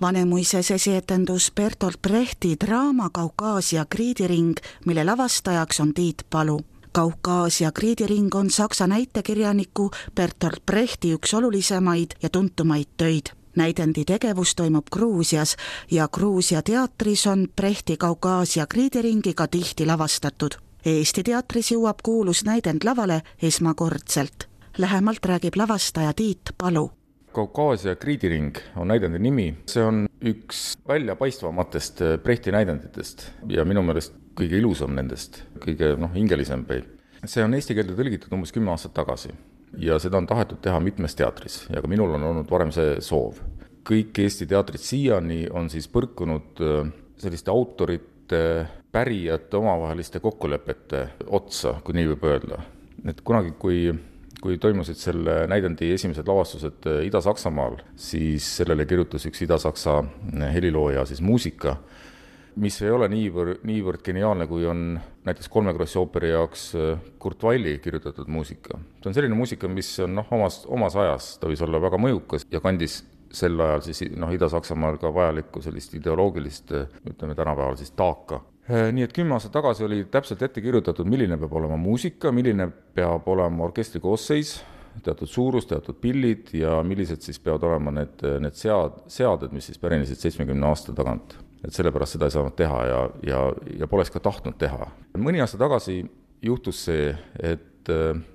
Vanemuises esietendus Bertolt Brechti draama Kaukaasia kriidiring, mille lavastajaks on Tiit Palu. Kaukaasia kriidiring on saksa näitekirjaniku Bertolt Brechti üks olulisemaid ja tuntumaid töid. Näidendi tegevus toimub Gruusias ja Gruusia teatris on Brechti Kaukaasia kriidiringiga tihti lavastatud. Eesti teatris jõuab kuulus näidend lavale esmakordselt. Lähemalt räägib lavastaja Tiit Palu. Kaukaasia kriidiring on näidendi nimi. See on üks väljapaistvamatest Brechti näidenditest ja minu meelest kõige ilusam nendest, kõige hingelisem. See on eesti keelde tõlgitud umbes 10 aastat tagasi ja seda on tahetud teha mitmes teatris ja ka minul on olnud varem see soov. Kõik Eesti teatrid siiani on siis põrkunud selliste autorite, pärijate omavaheliste kokkulepete otsa, kui nii võib öelda. Et kunagi, kui toimusid selle näidendi esimesed lavastused Ida-Saksamaal, siis sellele kirjutas üks Ida-Saksa helilooja siis muusika, mis ei ole niivõrd geniaalne, kui on näiteks Kolmekrossi ooperi jaoks Kurt Weilli kirjutatud muusika. See on selline muusika, mis on omas ajas, ta võis olla väga mõjukas ja kandis sel ajal siis Ida-Saksamaal ka vajalikku sellist ideoloogilist, ütleme tänapäeval siis taaka. Nii et 10 aastat tagasi oli täpselt ette kirjutatud, milline peab olema muusika, milline peab olema orkestri koosseis, teatud suurus, teatud pillid ja millised siis peavad olema need seaded, mis siis pärinesid 70 aasta tagant. Et sellepärast seda ei saanud teha ja poleks ka tahtnud teha. Mõni aasta tagasi juhtus see, et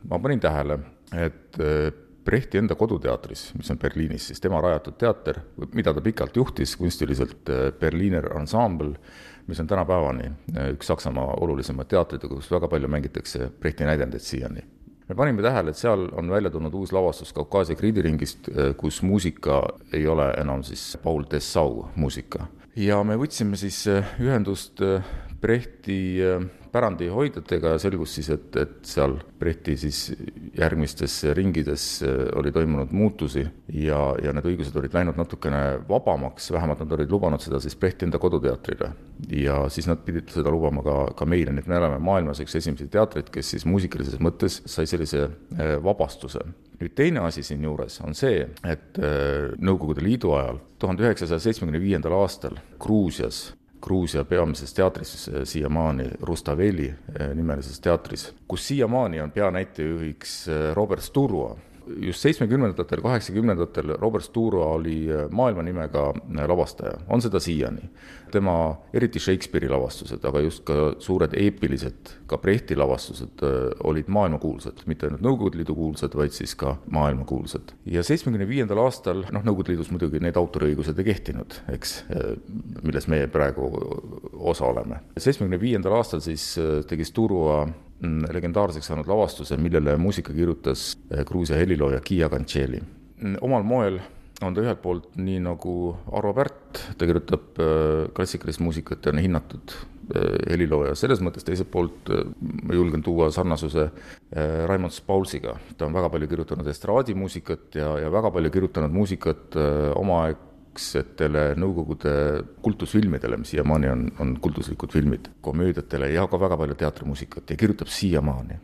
ma panin tähele, et Brechti enda koduteatris, mis on Berliinis, siis tema rajatud teater, mida ta pikalt juhtis kunstiliselt Berliner Ensemble, mis on tänapäevani üks Saksamaa olulisema teatrid, kus väga palju mängitakse Brechti näidendeid siiani. Me panime tähele, et seal on välja tulnud uus lavastus Kaukaasia kriidiringist, kus muusika ei ole enam siis Paul Dessau muusika. Ja me võtsime siis ühendust Brechti pärandi hoidjatega ja selgus siis, et seal Brechti siis järgmistes ringides oli toimunud muutusi ja need õigused olid läinud natukene vabamaks, vähemalt nad olid lubanud seda siis Brechti enda koduteatrile ja siis nad pidid seda lubama ka meile, nii et me oleme maailmas üks esimesi teatrid, kes siis muusikalises mõttes sai sellise vabastuse. Nüüd teine asi siin juures on see, et Nõukogude Liidu ajal 1975. aastal Gruusia peamises teatris siiamaani Rustaveli nimelises teatris, kus siiamaani on peanäitejuhiks Robert Sturua. Just 70-ndatel, 80-ndatel Robert Sturua oli maailma nimega lavastaja, on seda siiani. Tema eriti Shakespeare'i lavastused, aga just ka suured eepilised, ka Brechti lavastused olid maailmakuulsad, mitte ainult Nõukogude Liidu kuulsad, vaid siis ka maailmakuulsad. Ja 75. aastal, Nõukogude Liidus muidugi need autoriõigused ei kehtinud, eks, milles meie praegu osa oleme. 75. aastal siis tegi Sturua legendaarseks saanud lavastuse, millele muusika kirjutas Gruusia helilooja Kia Kancheli. Omal moel on ta ühelt poolt nii nagu Arvo Pärt, ta kirjutab klassikalist muusikat ja on hinnatud helilooja. Selles mõttes teiselt poolt ma julgen tuua sarnasuse Raimond Paulsiga. Ta on väga palju kirjutanud estraadimuusikat ja väga palju kirjutanud muusikat omaaegsetele Nõukogude kultusfilmidele, mis siiamaani on kultuslikud filmid, komöödiatele ja ka väga palju teatrimuusikat ja kirjutab siiamaani.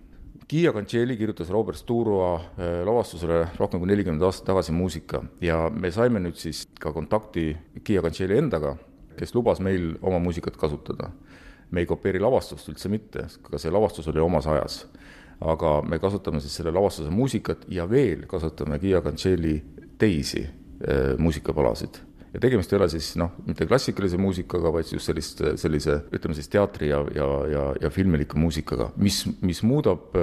Kia Kancheli kirjutas Robert Sturua lavastusele rohkem kui 40 aastat tagasi muusika ja me saime nüüd siis ka kontakti Kia Kancheli endaga, kes lubas meil oma muusikat kasutada. Me ei kopeeri lavastust üldse mitte, ka see lavastus oli omas ajas. Aga me kasutame siis selle lavastuse muusikat ja veel kasutame Kia Kancheli teisi muusikapalasid. Ja tegemist ei ole siis mitte klassikalise muusikaga, vaid just sellise ütleme siis teatri ja filmiliku muusikaga, mis muudab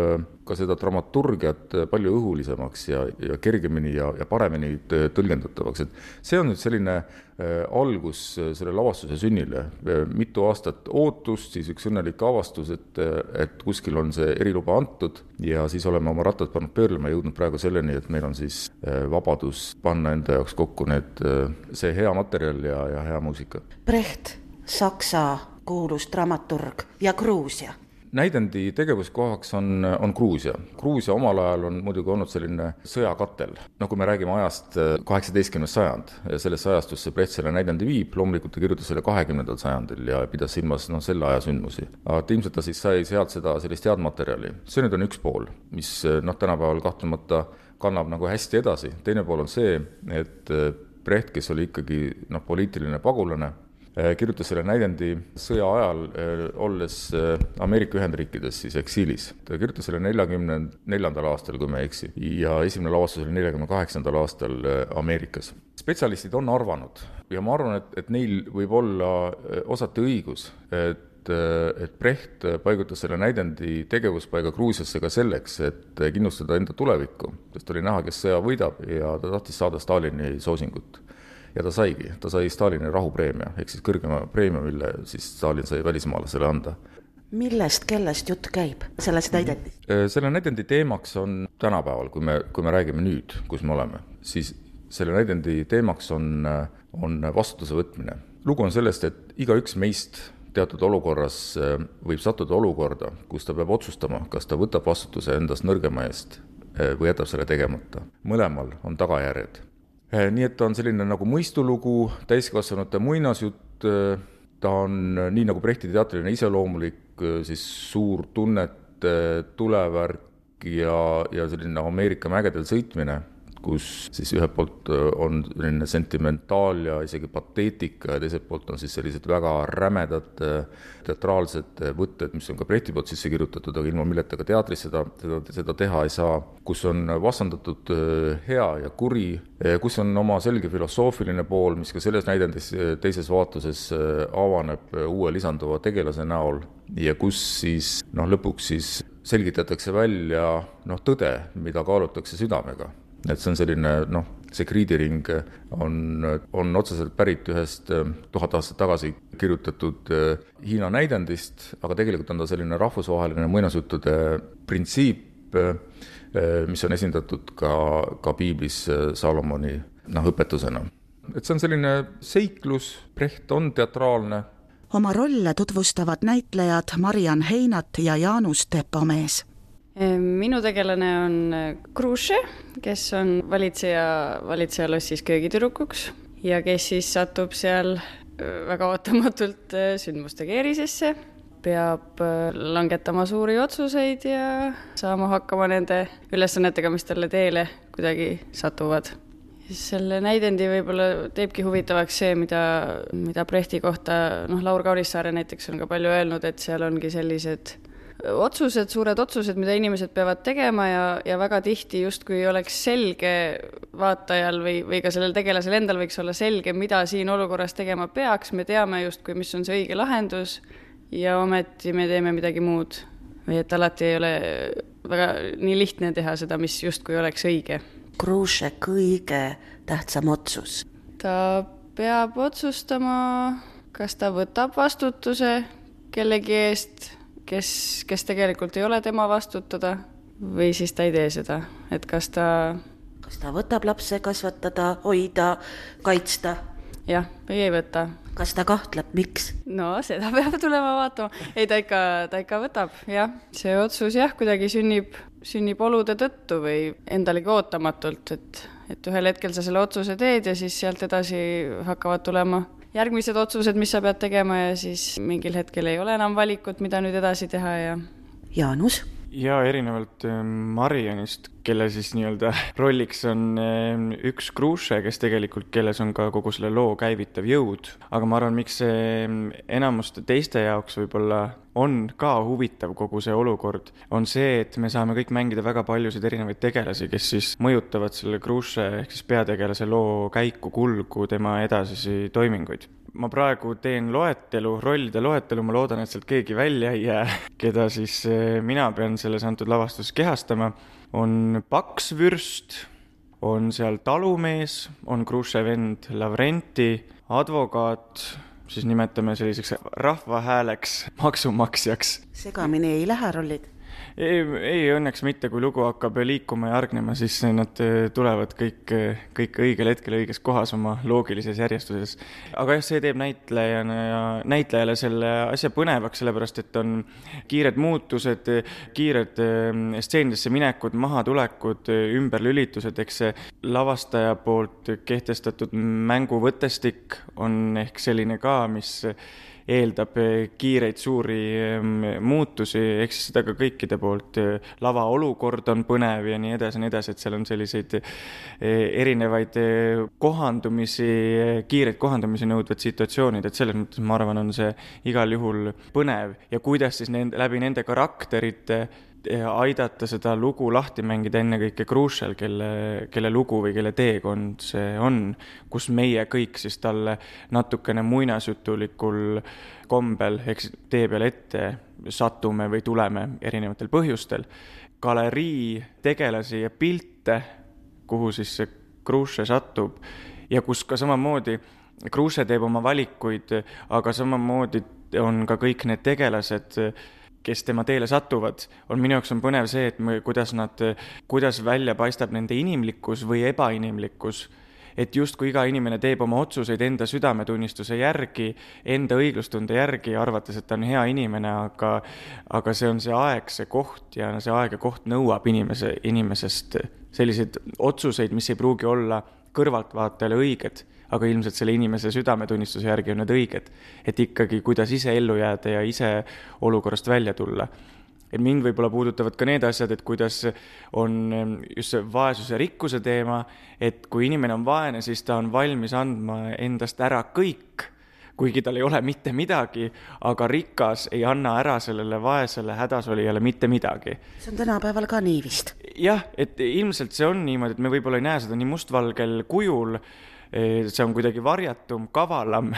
ka seda dramaturgiat palju õhulisemaks ja kergemini ja paremini tõlgendatavaks. Et see on nüüd selline algus selle lavastuse sünnile. Mitu aastat ootust, siis üks õnnelik avastus, et kuskil on see eriluba antud ja siis oleme oma rattad pannud pöörlema ja jõudnud praegu selleni, et meil on siis vabadus panna enda jaoks kokku see hea materjal ja hea muusika. Brecht, Saksa kuulus dramaturg ja Gruusia. Näidendi tegevuskohaks on Gruusia. Gruusia omal ajal on muidugi olnud selline sõjakatel. Kui me räägime ajast 18. sajand, sellesse ajastusse Brecht selle näidendi viib, loomulikult ta kirjutas selle 20. sajandil ja pidas silmas selle aja sündmusi. Aga ilmselt ta siis sai sealt sellist head materjali. See nüüd on üks pool, mis tänapäeval kahtlemata kannab hästi edasi. Teine pool on see, et Brecht, kes oli ikkagi poliitiline pagulane, kirjutas selle näidendi sõja ajal, olles Ameerika Ühendriikides siis eksiilis. Ta kirjutas selle 44. aastal, kui me ei eksi, ja esimene lavastus oli 48. aastal Ameerikas. Spetsialistid on arvanud ja ma arvan, et neil võib olla osati õigus, et Brecht paigutas selle näidendi tegevuspaiga Gruusiasse ka selleks, et kindlustada enda tulevikku, sest oli näha, kes sõja võidab ja ta tahtis saada Stalini soosingut. Ja ta sai Stalini rahupreemia, ehk siis kõrgema preemia, mille siis Stalin sai välismaalasele anda. Kellest jutt käib selles näidendis? Selle näidendi teemaks on tänapäeval, kui me räägime nüüd, kus me oleme, siis selle näidendi teemaks on vastutuse võtmine. Lugu on sellest, et igaüks meist teatud olukorras võib sattuda olukorda, kus ta peab otsustama, kas ta võtab vastutuse endast nõrgema eest või jätab selle tegemata. Mõlemal on tagajärjed. Nii et ta on selline nagu mõistulugu, täiskasvanute muinasjutt, ta on nii nagu Brechti teatriline iseloomulik, siis suur tunnete tulevärk ja selline Ameerika mägedel sõitmine, kus siis ühelt poolt on selline sentimentaal ja isegi pateetika ja teiselt poolt on siis sellised väga rämedad teatraalsed võtted, mis on ka Brechti poolt sisse kirjutatud, aga ilma milleta ka teatris seda teha ei saa, kus on vastandatud hea ja kuri, kus on oma selge filosoofiline pool, mis ka selles näidendis teises vaatuses avaneb uue lisanduva tegelase näol ja kus siis lõpuks siis selgitatakse välja tõde, mida kaalutakse südamega. Et see on selline, see kriidiring on otseselt pärit ühest 1000 aastat tagasi kirjutatud Hiina näidendist, aga tegelikult on ta selline rahvusvaheline muinasjuttude printsiip, mis on esindatud ka piiblis Salomoni õpetusena. Et see on selline seiklus, Brecht on teatraalne. Oma rolle tutvustavad näitlejad Mariann Heinat ja Jaanus Tepomees. Minu tegelane on Kruše, kes on valitseja lossis köögitüdrukuks ja kes siis satub seal väga ootamatult sündmuste keerisesse, peab langetama suuri otsuseid ja saama hakkama nende ülesannetega, mis talle teele kuidagi satuvad. Selle näidendi võib-olla teebki huvitavaks see, mida Brechti kohta, Laur Kaunissaare näiteks on ka palju öelnud, et seal ongi sellised suured otsused, mida inimesed peavad tegema ja väga tihti justkui oleks selge vaatajal või ka sellel tegelasel endal võiks olla selge, mida siin olukorras tegema peaks. Me teame justkui, mis on see õige lahendus ja ometi me teeme midagi muud. Või et alati ei ole väga nii lihtne teha seda, mis justkui oleks õige. Kruše kõige tähtsam otsus. Ta peab otsustama, kas ta võtab vastutuse kellegi eest, kes tegelikult ei ole tema vastutada või siis ta ei tee seda, et kas ta võtab lapse kasvatada, hoida, kaitsta? Jah, või ei võta. Kas ta kahtleb, miks? No, seda peab tulema vaatama. Ei, ta ikka võtab, jah. See otsus kuidagi sünnib olude tõttu või endalegi ootamatult, et ühel hetkel sa selle otsuse teed ja siis sealt edasi hakkavad tulema järgmised otsused, mis sa pead tegema ja siis mingil hetkel ei ole enam valikut, mida nüüd edasi teha ja... Jaanus? Ja erinevalt Marianist, kelle siis nii-öelda rolliks on üks Kruše, kes tegelikult, kelles on ka kogu selle loo käivitav jõud. Aga ma arvan, miks see enamuste teiste jaoks võib-olla on ka huvitav kogu see olukord, on see, et me saame kõik mängida väga paljusid erinevaid tegelasi, kes siis mõjutavad selle Kruše ehk siis peategelase loo käiku, kulgu, tema edasisi toiminguid. Ma praegu teen rollide loetelu, ma loodan, et sealt keegi välja ei jää, keda siis mina pean selles antud lavastus kehastama. On paksvürst, on seal talumees, on Kruše vend Lavrenti, advokaat, siis nimetame selliseks rahvahääleks, maksumaksjaks. Segamini ei lähe rollid? Ei, õnneks mitte, kui lugu hakkab liikuma ja argnema, siis nad tulevad kõik õigel hetkel õiges kohas oma loogilises järjestuses. Aga see teeb näitlejale selle asja põnevaks, sellepärast et on kiired muutused, kiired stseenidesse minekud, mahatulekud, ümberlülitused, eks see lavastaja poolt kehtestatud mänguvõttestik on ehk selline ka, mis eeldab kiireid suuri muutusi, eks seda ka kõikide poolt. Lava olukord on põnev ja nii edasi, et seal on selliseid erinevaid kohandumisi, kiireid kohandumisi nõudvad situatsioonid, et selles mõttes ma arvan, on see igal juhul põnev ja kuidas siis läbi nende karakterite aidata seda lugu lahti mängida ennekõike Krušel, kelle lugu või kelle teekond see on, kus meie kõik siis talle natukene muinasjutulikul kombel eks tee peale ette satume või tuleme erinevatel põhjustel. Galerii tegelasi ja pilte, kuhu siis see Kruše satub ja kus ka samamoodi Kruše teeb oma valikuid, aga samamoodi on ka kõik need tegelased, kes tema teele satuvad, minu jaoks on põnev see, et kuidas välja paistab nende inimlikkus või ebainimlikkus, et justkui iga inimene teeb oma otsuseid enda südametunnistuse järgi, enda õiglustunde järgi, arvates, et ta on hea inimene, aga see on see aeg, see koht ja see aeg ja koht nõuab inimesest selliseid otsuseid, mis ei pruugi olla kõrvaltvaatajale õiged, aga ilmselt selle inimese südametunnistuse järgi on need õiged, et ikkagi kuidas ise ellu jääda ja ise olukorrast välja tulla. Et mind võib-olla puudutavad ka need asjad, et kuidas on just see vaesuse rikkuse teema, et kui inimene on vaene, siis ta on valmis andma endast ära kõik, kuigi tal ei ole mitte midagi, aga rikas ei anna ära sellele vaesele hädasolijale mitte midagi. See on tänapäeval ka nii vist. Jah, et ilmselt see on niimoodi, et me võib-olla ei näe seda nii mustvalgel kujul, see on kuidagi varjatum, kavalam,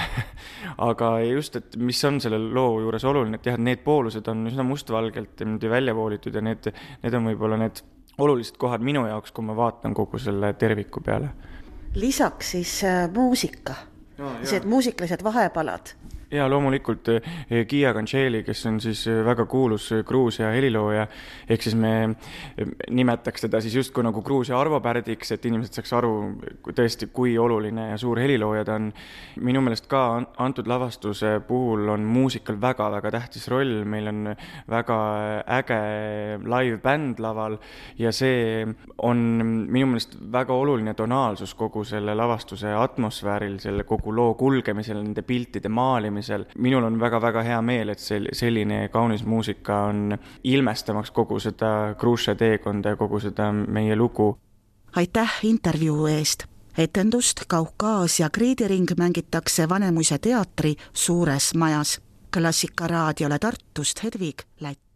aga just, et mis on selle loo juures oluline, et jah, et need poolused on üsna mustvalgelt välja voolitud ja need on võib-olla need olulised kohad minu jaoks, kui ma vaatan kogu selle terviku peale. Lisaks siis muusika, see muusikalised vahepalad. Ja loomulikult Gia Gancheli, kes on siis väga kuulus Gruusia helilooja, ehk siis me nimetaks teda siis justkui nagu Gruusia Arvo Pärdiks, et inimesed saaks aru tõesti, kui oluline ja suur helilooja ta on. Minu meelest ka antud lavastuse puhul on muusikal väga-väga tähtis roll, meil on väga äge live bänd laval ja see on minu meelest väga oluline tonaalsus kogu selle lavastuse atmosfääril, selle kogu loo kulgemisel, nende piltide maalimisel. Minul on väga-väga hea meel, et selline kaunis muusika on ilmestamaks kogu seda Kruše teekonda ja kogu seda meie lugu. Aitäh intervjuu eest! Etendust Kaukaasia kriidiring mängitakse Vanemuise teatri suures majas. Klassika raadiole Tartust Hedvig Lätt.